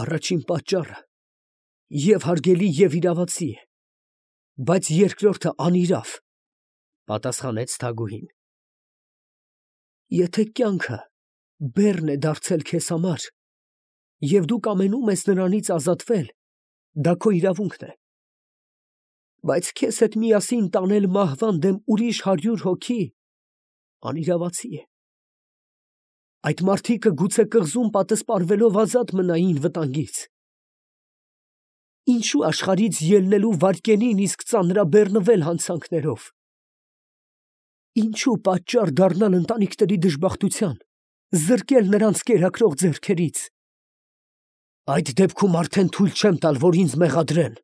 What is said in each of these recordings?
Առաջին պատճառը և հարգելի և իրավացի է, բայց երկրորդը անիրավ, պատասխանեց Թագուհին։ Եթե կյանքը բեռն է դարձել քեզ համար, և դու կամենում ես նրանից ազատվել, դա քո իրավունքն է, բայց քեզ հետ միասին տանել մահվան դեմ ուրիշ 100 հոգի անիրավացի է։ Այդ մարդիկը գուցե կղզում պատսպարվելով ազատ մնային վտանգից։ Ինչու աշխարհից ելնելու վայրկենին իսկ ծանրաբեռնվել հանցանքներով։ Ինչու պատճառ դառնալ ընտանիքների դժբախտության, զրկել նրանց կերակրող ձեռքերից։ Այդ դեպքում արդեն թույլ չեմ տալ, որ ինձ մեղադրեն։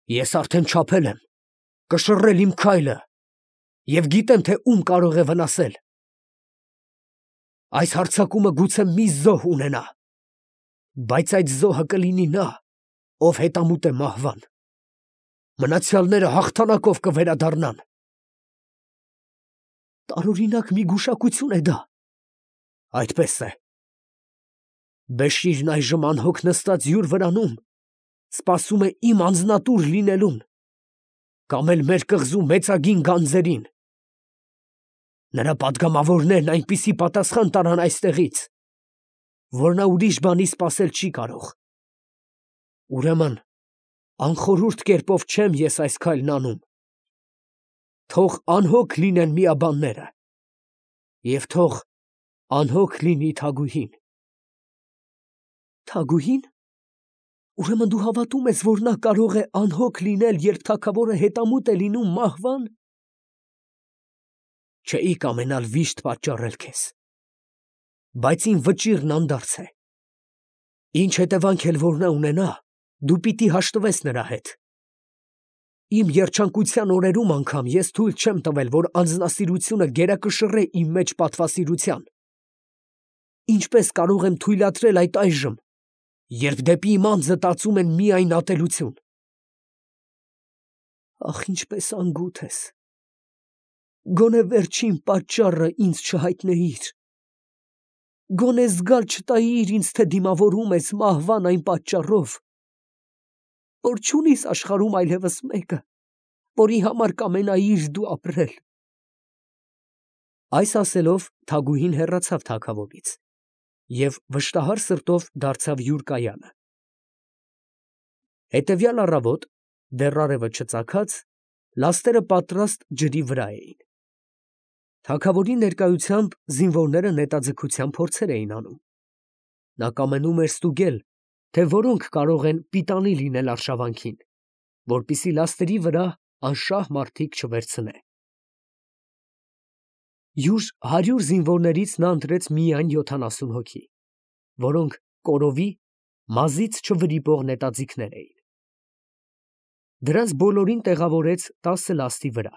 Ես արդեն չափել եմ, կշռել իմ քայլը և գիտեմ, թե ում կարող է վնասել։ Այս հարձակումը գուցե մի զոհ ունենա, բայց այդ զոհը կլինի նա, ով հետամուտ է մահվան։ Մնացյալները հաղթանակով կվերադառնան։ Տարօրինակ մի գուշակություն է դա։ Այդպես է։ Բեշիրն այժմ անհոգ նստած յուր վրանում սպասում է իմ անձնատուր լինելուն, կամ էլ մեր կղզու մեծագին գանձերին։ Նրա պատգամավորներն այնպիսի պատասխան տարան այստեղից, որ նա ուրիշ բանի սպասել չի կարող։ Ուրեմն անխորհուրդ կերպով չեմ ես այս քայլն անում։ Թող անհոգ լինեն միաբանները, և թող անհոգ լինի Թագուհին։ Թագուհի՞ն։ Ուրեմն դու հավատում ես, որ նա կարող է անհոգ լինել, երբ թագավորը հետամուտ է լինում մահվան։ Չէի կամենալ վիշտ պատճառել քեզ, բայց իմ վճիռն անդարձ է։ Ինչ հետևանք էլ որ նա ունենա, դու պիտի հաշտվես նրա հետ։ Իմ երջանկության օրերում անգամ ես թույլ չեմ տվել, որ անձնասիրությունը գերակշռե իմ մեջ պատվասիրության։ Ինչպես կարող եմ թույլատրել այդ այժմ, երբ դեպի իմ անձը տածում են միայն ատելություն։ Ախ, ինչպես անգութ ես։ Գոնե վերջին պատճառը ինձ չհայտնեիր։ Գոնե զգալ չտայիր ինձ, թե դիմավորում ես մահվան այն պատճառով, որ չունիս աշխարհում այլևս մեկը, որի համար կամենայիր դու ապրել։ Այս ասելով Թագուհին հեռացավ թագավորից և վշտահար սրտով դարձավ յուր կայանը։ Հետևյալ առավոտ, դեռ արևը չծագած, լաստերը պատրաստ ջրի վրա էին։ Թագավորի ներկայությամբ զինվորները նետաձգության փորձեր էին անում։ Նա կամենում էր ստուգել, թե որոնք կարող են պիտանի լինել արշավանքին, որպեսզի լաստերի վրա անշահ մարդիկ չվերցնե։ Յուր 100 զինվորներից նա ընտրեց միայն 70 հոգի, որոնք կորովի, մազից չվրիպող նետաձիգներ էին։ Դրանց բոլորին տեղավորեց 10 լաստի վրա,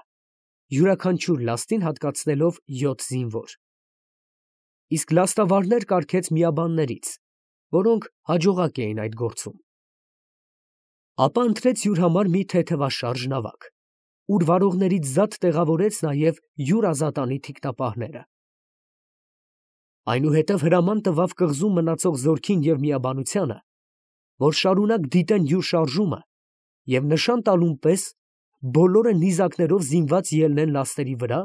յուրաքանչյուր լաստին հատկացնելով 7 զինվոր։ Իսկ լաստավարներ կարգեց միաբաններից, որոնք հաջողակ էին այդ գործում։ Ապա ընտրեց յուր համար մի թեթևաշարժ նավակ, ուր վարողներից զատ տեղավորեց նաև յուր ազատանի թիկնապահները։ Այնուհետև հրաման տվավ կղզում մնացող զորքին և միաբանությանը, որ շարունակ դիտեն յուր շարժումը և նշան տալուն պես բոլորը նիզակներով զինված ելնեն լաստերի վրա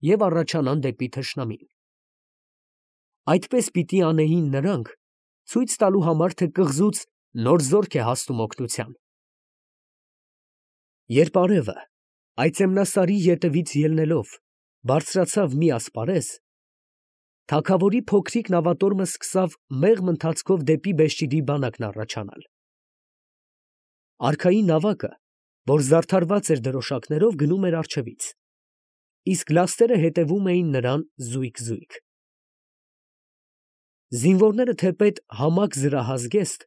և առաջանան դեպի թշնամին։ Այդպես պիտի անեին նրանք, ցույց տալու համար, թե կղզուց նոր զորք է հասնում օգնության։ Երբ արևը, այծեմնասարի ետևից ելնելով, բարձրացավ մի ասպարեզ, թագավորի փոքրիկ նավատորմը սկսավ մեղմ ընթացքով դեպի Բեշիրի բանակն առաջանալ։ Արքայի նավակը, որ զարդարված էր դրոշակներով, գնում էր առջևից, իսկ լաստերը հետևում էին նրան զույգ։ Զինվորները թեպետ համակ զրահազգեստ,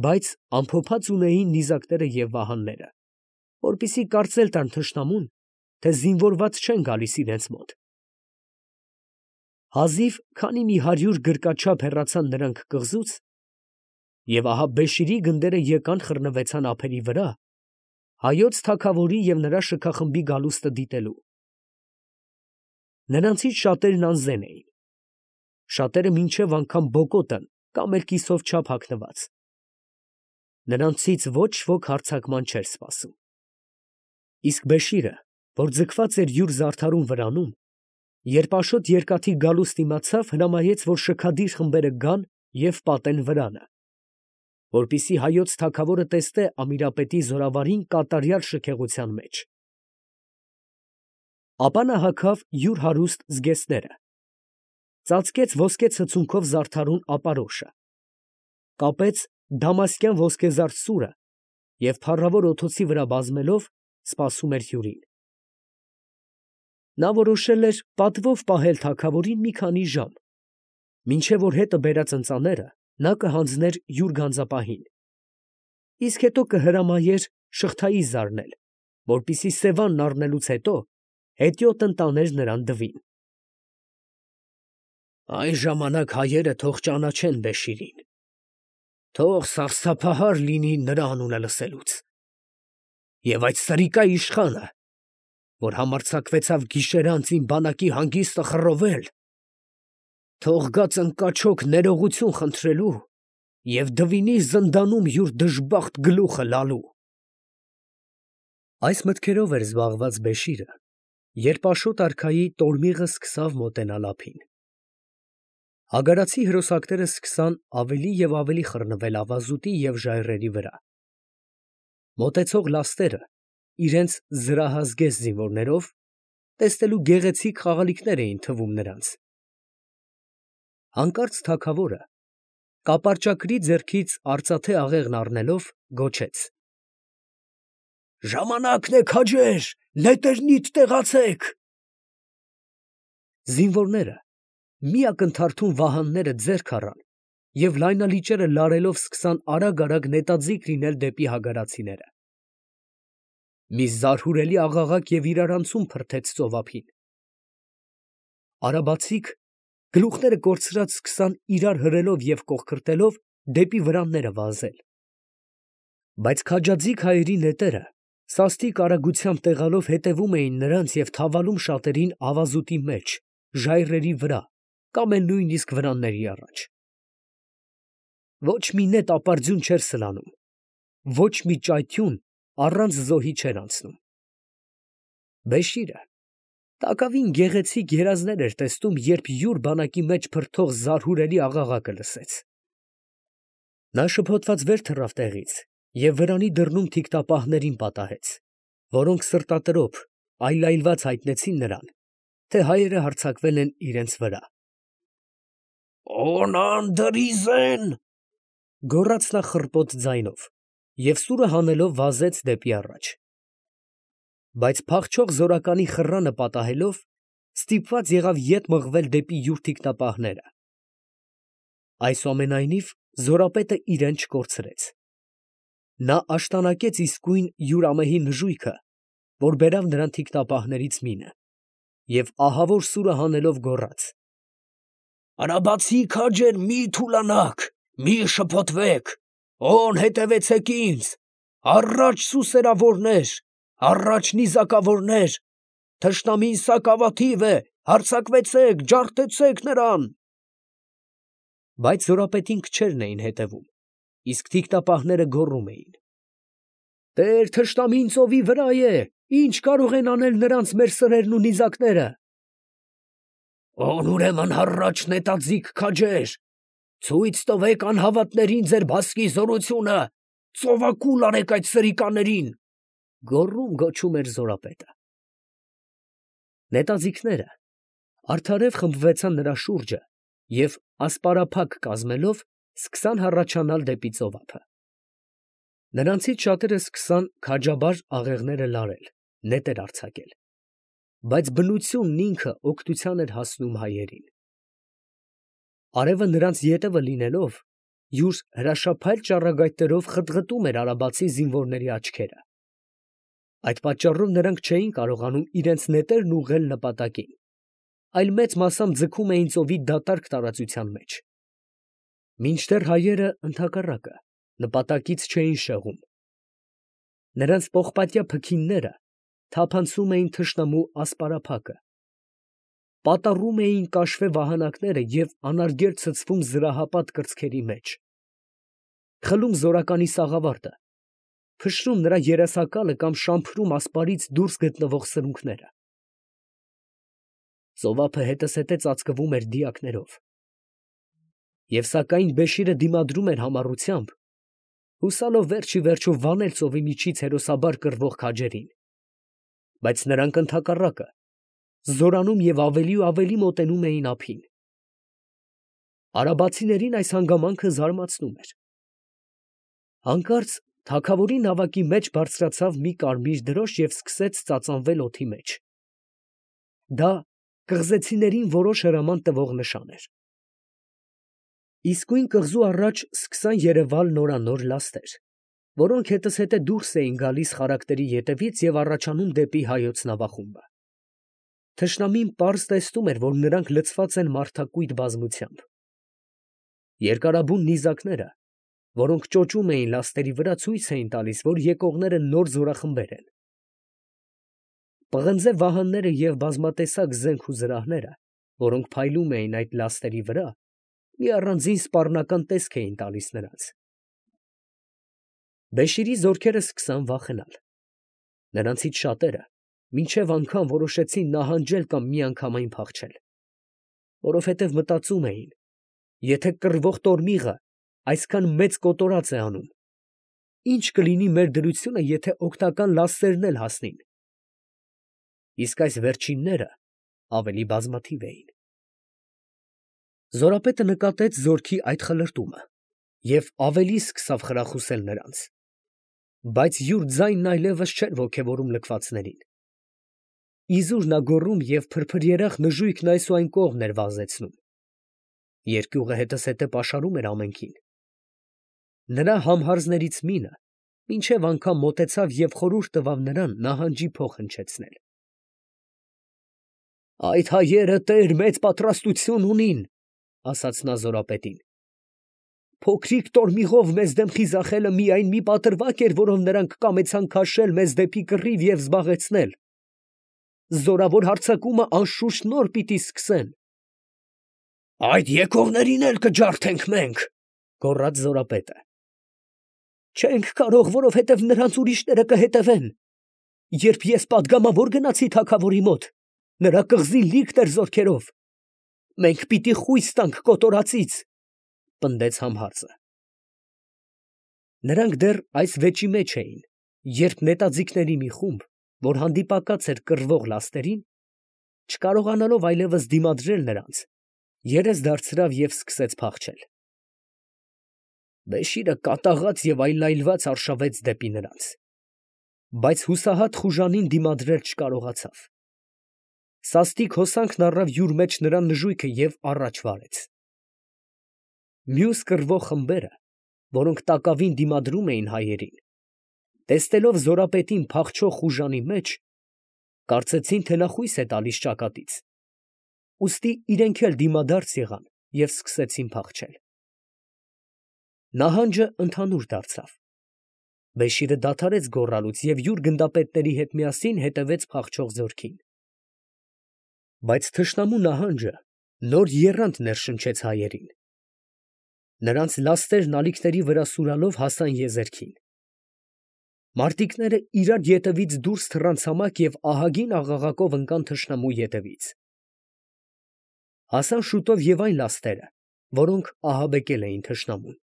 բայց ամփոփած ունեին նիզակները և վահանները, որպեսզի կարծել տան թշնամուն, թե զինվորված չեն գալիս իրենց մոտ։ Հազիվ քանի մի 100 գրկաչափ հեռացան նրանք կղզուց, և ահա Բեշիրի գնդերը եկան խռնվեցան ափերի վրա, հայոց թագավորի և նրա շքախմբի գալուստը դիտելու։ Նրանցից շատերն անզեն էին, շատերը մինչև անգամ բոկոտն կամ էլ կիսով չափ հագնված։ Նրանցից ոչ ոք հարձակման չէր սպասում։ Իսկ Բեշիրը, որ ձգված էր յուր զարդարուն վրանում, երբ աշոտ երկաթի գալուստն իմացավ, հրամայեց, որ շքադիր խմբերը գան և պատեն վրանը, որպեսզի հայոց թագավորը տեսնե Ամիրապետի զորավարին կատարյալ շքեղության մեջ։ Ապա նա հագավ յուր հարուստ զգեստները, ծածկեց ոսկե ցցունքով զարդարուն ապարոշը, կապեց դամասկյան ոսկեզարդ սուրը և փառավոր օդոցի վրա բազմելով սպասում էր հյուրին։ Նա որոշել էր պատվով պահել թագավորին մի քանի ժամ, մինչև որ հետը բերած ընծաները նա կհանձներ յուր գանձապահին, իսկ հետո կհրամայեր շղթայի զարնել, որպեսզի սևանն առնելուց հետո հետիոտն տաներ նրան դվին։ Այն ժամանակ հայերը թող ճանաչեն Բեշիրին, թող սարսափահար լինի նրա անունը լսելուց, և այդ սրիկա իշխանը, որ համարձակվեցավ գիշերանց իմ բանակի հանգիստը խռովել, թող գա ծնկաչոք ներողություն խնդրելու և դվինի զնդանում յուր դժբախտ գլուխը լալու։ Այս մտքերով էր զբաղված Բեշիրը, երբ Աշոտ արքայի տորմիղը սկսավ մոտենալ ափին։ Հագարացի հրոսակները սկսան ավելի և ավելի խռնվել ավազուտի և ժայռերի վրա։ Մոտեցող լաստերը իրենց զրահազգեստ զինվորներով տեսնելու գեղեցիկ խաղալիքներ էին թվում նրանց։ Հանկարծ թագավորը կապարճակրի ձեռքից արծաթե աղեղն առնելով գոչեց. «Ժամանակն է, քաջեր, նետերնիդ տեղացեք»։ Զինվորները մի ակնթարթում վահանները ձեռք առան և լայնալիճերը լարելով սկսան արագ նետաձիգ լինել դեպի հագարացիները։ Մի զարհուրելի աղաղակ և իրարանցում փրթեց ծովափին։ Արաբացիք գլուխները կորցրած սկսան իրար հրելով և կողքրտելով դեպի վրանները վազել։ Բայց քաջաձիգ հայերի նետերը սաստիկ արագությամբ տեղալով հետևում էին նրանց և թավալում շատերին ավազուտի մեջ, ժայռերի վրա կամ էլ նույնիսկ վրանների առաջ։ Ոչ մի նետ ապարդյուն չէր սլանում, ոչ մի ճայթյուն առանց զոհի չէր անցնում։ Բեշիրը տակավին գեղեցիկ երազներ էր տեսնում, երբ յուր բանակի մեջ փրթող զարհուրելի աղաղակը լսեց։ Նա շփոթված վեր թռավ տեղից և վրանի դռնում թիկնապահներին պատահեց, որոնք սրտատրոփ, այլայլված հայտնեցին նրան, թե հայերը հարձակվել են իրենց վրա։ «Օնան֊դրիզեն», գոռաց նա խռպոտ ձայնով և սուրը հանելով վազեց դեպի առաջ։ Բայց փախչող զորականի խռանը պատահելով, ստիպված եղավ ետ մղվել դեպի յուր թիկնապահները։ Այսուամենայնիվ զորապետը իրեն չկորցրեց։ Նա աշտանակեց իսկույն յուր ամեհի նժույգը, որ բերավ նրան թիկնապահներից մինը, և ահավոր սուրը հանելով գոռաց. «Արաբացի քաջեր, մի թուլանաք, մի շփոթվեք, օն հետևեցեք ինձ, առաջ սուսերավորներ, առաջ նիզակավորներ, թշնամին սակավաթիվ է, հարձակվեցեք, ջարդեցեք նրան»։ Բայց զորապետին քչերն էին հետևում, իսկ թիկնապահները գոռում էին. «Տեր թշնամին ծովի վրա է, ի՞նչ կարող են անել նրանց մեր սրերն ու նիզակները»։ «Ուրեմն հառաչ նետաձիգ քաջեր, ցույց տվեք անհավատներին ձեր բասկի զորությունը, ծովակուլ արեք այդ սրիկաներին», գոչում էր զորապետը։ Նետաձիգները արդարև խմբվեցան նրա շուրջը և ասպարափակ կազմելով սկսան հառաչանալ դեպի ծովափը։ Նրանցից շատերը սկսան քաջաբար աղեղները լարել, նետեր արձակել, բայց բնությունն ինքը օգնության էր հասնում հայերին։ Արևը նրանց ետևը լինելով, յուր հրաշափայլ ճառագայթներով խտղտում էր արաբացի զինվորների աչքերը։ Այդ պատճառով նրանք չէին կարողանում իրենց նետերն ուղղել նպատակին, այլ մեծ մասամբ ձգում էին ծովի դատարկ տարածության մեջ։ Մինչդեռ հայերը ընդհակառակը նպատակից չէին շեղում։ Նրանց պողպատյա փքինները թափանցում էին թշնամու ասպարափակը։ պատառում էին կաշվե վահանակները և անարգել ցցվում զրահապատ կրծքերի մեջ, խլում զորականի սաղավարտը, փշրում նրա երեսակալը կամ շամփրում ասպարից դուրս գտնվող սրունքները։ Ծովափը հետզհետե ծածկվում էր դիակներով։ Եվ սակայն Բեշիրը դիմադրում էր համառությամբ, հուսալով վերջ ի վերջո վանել ծովի միջից հերոսաբար կռվող քաջերին, բայց նրանք ընդհակառակը զորանում և ավելի ու ավելի մոտենում էին ափին։ Արաբացիներին այս հանգամանքը զարմացնում էր։ Հանկարծ թագավորի նավակի մեջ բարձրացավ մի կարմիր դրոշ և սկսեց ծածանվել օդի մեջ։ Դա կղզեցիներին որոշ հրաման տվող նշան էր։ Իսկույն կղզու առաջ սկսան երևալ նորանոր լաստեր, որոնք հետզհետե դուրս էին գալիս խարակտերի ետևից և առաջանում դեպի հայոց նավախումբը։ Թշնամին պարզ տեսնում էր, որ նրանք լցված են մարդակույտ բազմությամբ։ Երկարաբուն նիզակները, որոնք ճոճում էին լաստերի վրա, ցույց էին տալիս, որ եկողները նոր զորախմբեր են։ Պղնձե վահանները և բազմատեսակ զենք ու զրահները, որոնք փայլում էին այդ լաստերի վրա, մի առանձին սպառնական տեսք էին տալիս նրանց։ Բեշիրի զորքերը սկսան վախենալ։ Նրանցից շատերը մինչև անգամ որոշեցին նահանջել կամ միանգամայն փախչել, որովհետև մտածում էին, եթե կռվող տորմիղը այսքան մեծ կոտորած է անում, ի՞նչ կլինի մեր դրությունը, եթե օգնական լաստերն էլ հասնին։ Իսկ այս վերջինները ավելի բազմաթիվ էին։ Զորապետը նկատեց զորքի այդ խլրտումը և ավելի սկսավ խրախուսել նրանց, բայց յուր ձայնն այլևս չէր ոգևորում լքվածներին։ Իզուր նա գոռում և փրփրերախ նժույգն այս ու այն կողմ էր վազեցնում։ Երկյուղը հետզհետե պաշարում էր ամենքին։ Նրա համհարզներից մինը մինչև անգամ մոտեցավ և խորհուրդ տվավ նրան նահանջի փող հնչեցնել։ «Այդ հայերը տեր մեծ պատրաստություն ունին, ֊ ասաց նա զորապետին։ Փոքրիկ տորմիղով մեզ դեմ խիզախելը միայն մի պատրվակ էր, որով նրանք կամեցան քաշել մեզ դեպի կռիվ և զբաղեցնել։ Զորավոր հարձակումը անշուշտ նոր պիտի սկսեն»։ «Այդ եկողներին էլ կջարդենք մենք, ֊ գոռաց զորապետը։ «Չենք կարող, որովհետև նրանց ուրիշները կհետևեն։ Երբ ես պատգամավոր գնացի թագավորի մոտ, նրա կղզին լիքն էր զորքերով։ Մենք պիտի խույս տանք կոտորածից», ֊ պնդեց համհարզը։ Նրանք դեռ այս վեճի մեջ էին, երբ նետաձիգների մի խումբ, որ հանդիպակաց էր կռվող լաստերին, չկարողանալով այլևս դիմադրել նրանց, երես դարձրավ և սկսեց փախչել։ Բեշիրը կատաղած և այլայլված արշավեց դեպի նրանց, բայց հուսահատ խուժանին դիմադրել չկարողացավ։ Սաստիկ հոսանքն առավ յուր մեջ նրա նժույգը և առաջ վարեց։ Մյուս կռվող խմբերը, որոնք տակավին դիմադրում էին հայերին, տեսնելով զորապետին փախչող խուժանի մեջ, կարծեցին, թե նա խույս է տալիս ճակատից, ուստի իրենք էլ դիմադարձ եղան և սկսեցին փախչել։ Նահանջը ընդհանուր դարձավ։ Բեշիրը դադարեց գոռալուց և յուր գնդապետների հետ միասին հետևեց փախչող զորքին։ Բայց թշնամու նահանջը նոր եռանդ ներշնչեց հայերին։ Նրանց լաստերն ալիքների վրա սուրալով հասան եզերքին։ Մարտիկները իրար ետևից դուրս թռան ցամաք և ահագին աղաղակով ընկան թշնամու ետևից։ Հասան շուտով և այն լաստերը, որոնք ահաբեկել էին թշնամուն։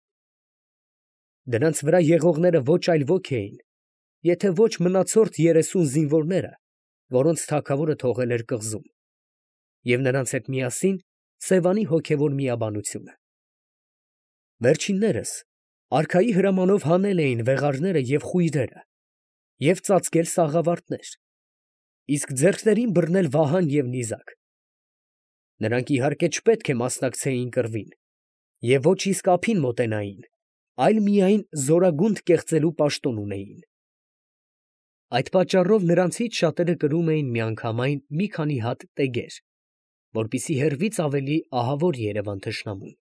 Դրանց վրա եղողները ոչ այլ ոք էին, եթե ոչ մնացորդ 30 զինվորները, որոնց թագավորը թողել էր կղզում, և նրանց հետ միասին Սևանի հոգևոր միաբանությունը։ Վերջիններս արքայի հրամանով հանել էին վեղարները և խույրերը և ծածկել սաղավարտներ, իսկ ձեռքներին բռնել վահան և նիզակ։ Նրանք իհարկե չպետք է մասնակցեին կռվին և ոչ իսկ ափին մոտենային, այլ միայն զորագունդ կեղծելու պաշտոն ունեին։ Այդ պատճառով նրանցից շատերը կրում էին միանգամայն մի քանի հատ տեգեր, որպեսզի հեռվից ավելի ահավոր երևան թշնամուն։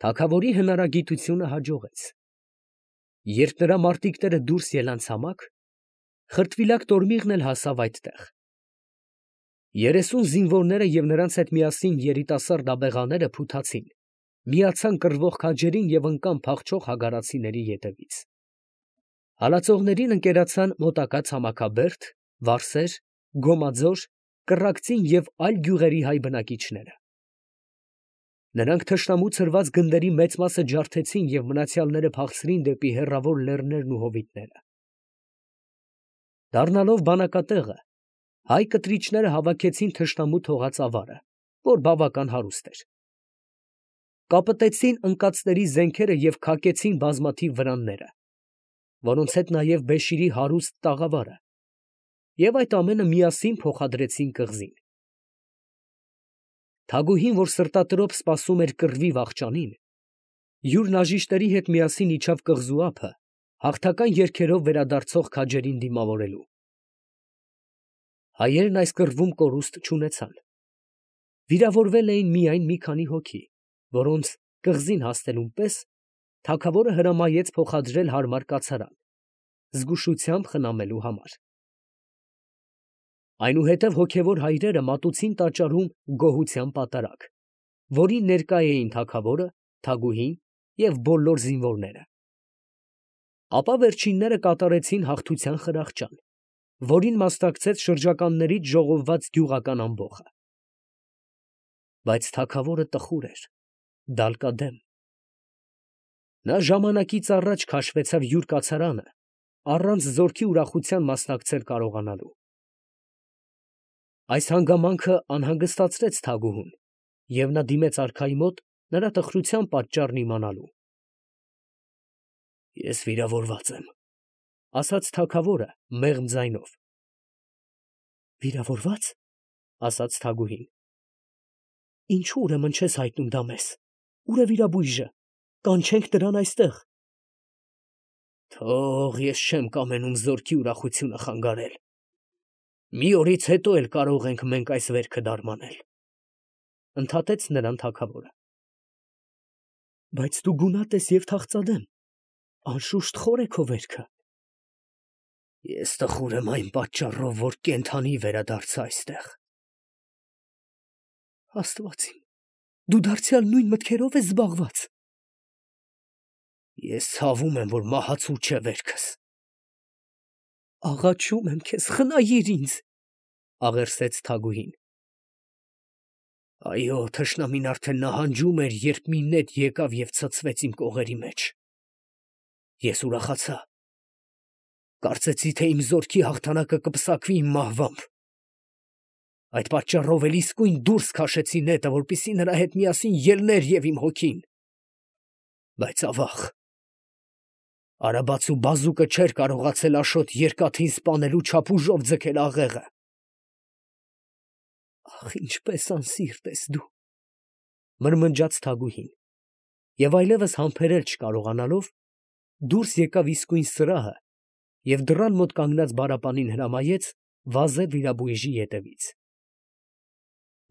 Թագավորի հնարագիտությունը հաջողեց։ Երբ նրա մարտիկները դուրս ելան ցամաք, խրտվիլակ տորմիղն էլ հասավ այդտեղ։ 30 զինվորները և նրանց հետ միասին երիտասարդ աբեղաները փութացին, միացան կռվող քաջերին և ընկան փախչող հագարացիների ետևից։ Հալածողներին ընկերացան մոտակա Ցամաքաբերդ, Վարսեր, Գոմաձոր, Կռակցին և այլ գյուղերի հայ բնակիչները։ Նրանք թշնամու ցրված գնդերի մեծ մասը ջարդեցին և մնացյալները փախցրին դեպի հեռավոր լեռներն ու հովիտները։ Դառնալով բանակատեղը, հայ կտրիչները հավաքեցին թշնամու թողած ավարը, որ բավական հարուստ էր։ Կապտեցին ընկածների զենքերը և քակեցին բազմաթիվ վրանները, որոնց հետ նաև Բեշիրի հարուստ տաղավարը, և այդ ամենը միասին փոխադրեցին կղզին։ Թագուհին, որ սրտատրոփ սպասում էր կռվի վախճանին, յուր նաժիշտերի հետ միասին իջավ կղզու ափը, հաղթական երգերով վերադարձող քաջերին դիմավորելու։ Հայերն այս կռվում կորուստ չունեցան։ Վիրավորվել էին միայն մի քանի հոգի, որոնց կղզին հասնելուն պես թագավորը հրամայեց փոխադրել հարմար կացարան, զգուշությամբ խնամելու համար։ Այնուհետև հոգևոր հայրերը մատուցին տաճարում գոհության պատարագ, որին ներկա էին թագավորը, թագուհին և բոլոր զինվորները։ Ապա վերջինները կատարեցին հաղթության խրախճան, որին մասնակցեց շրջականներից ժողովված գյուղական ամբոխը։ Բայց թագավորը տխուր էր, դալկադեմ։ Նա ժամանակից առաջ քաշվեցավ յուր կացարանը, առանց զորքի ուրախության մասնակցել կարողանալու։ Այս հանգամանքը անհանգստացրեց թագուհուն, և նա դիմեց արքայի մոտ նրա տխրության պատճառն իմանալու։ «Ես վիրավորված եմ», ֊ ասաց թագավորը մեղմ ձայնով։ «Վիրավորվա՞ծ», ֊ ասաց թագուհին։ «Ինչո՞ւ ուրեմն չես հայտնում դա մեզ. ուր է վիրաբույժը, կանչենք նրան այստեղ»։ «Թող, ես չեմ կամենում զորքի ուրախությունը խանգարել. մի օրից հետո էլ կարող ենք մենք այս վերքը դարմանել», ֊ ընդհատեց նրան թագավորը։ «Բայց դու գունատ ես և թախծադեմ, անշուշտ խոր է քո վերքը»։ «Ես տխուր եմ այն պատճառով, որ կենդանի վերադարձա այստեղ»։ «Աստված իմ, դու դարձյալ նույն մտքերով ես զբաղված»։ «Ես ցավում եմ, որ մահացու չէ վերքս»։ «Աղաչում եմ քեզ, խնայիր ինձ», ֊ աղերսեց թագուհին։ «Այո, թշնամին արդեն նահանջում էր, երբ մի նետ եկավ և ցցվեց իմ կողերի մեջ։ Ես ուրախացա. կարծեցի, թե իմ զորքի հաղթանակը կպսակվի իմ մահվամբ։ Այդ պատճառով էլ իսկույն դուրս քաշեցի նետը, որպեսզի նրա հետ միասին ելներ և իմ հոգին։ Բայց ավաղ, արաբացու բազուկը չէր կարողացել Աշոտ երկաթին սպանելու չափ ուժով ձգել աղեղը»։ «Ախ, ինչպես անսիրտ ես դու», ֊ մրմնջաց թագուհին, և այլևս համբերել չկարողանալով, դուրս եկավ իսկույն սրահը և դռան մոտ կանգնած բարապանին հրամայեց վազել վիրաբույժի ետևից։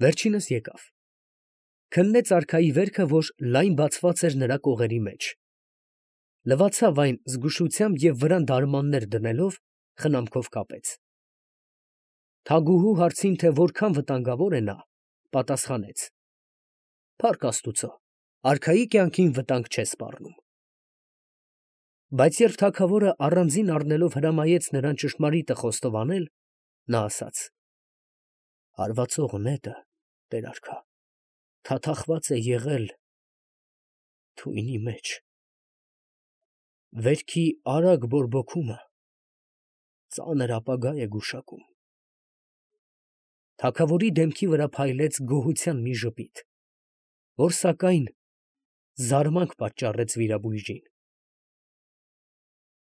Վերջինս եկավ։ Քննեց արքայի վերքը, որ լայն բացված էր նրա կողերի մեջ, լվացավ այն զգուշությամբ և վրան դարմաններ դնելով խնամքով կապեց։ Թագուհու հարցին, թե որքան վտանգավոր է նա, պատասխանեց. «Փառք Աստուծո, արքայի կյանքին վտանգ չէ սպառնում»։ Բայց երբ թագավորը առանձին առնելով հրամայեց նրան ճշմարիտը խոստովանել, նա ասաց. «Հարվածող նետը, տեր արքա, թաթախված է եղել թույնի մեջ։ Վերքի արագ բորբոքումը ծանր ապագա է գուշակում»։ Թագավորի դեմքի վրա փայլեց գոհության մի ժպիտ, որ սակայն զարմանք պատճառեց վիրաբույժին։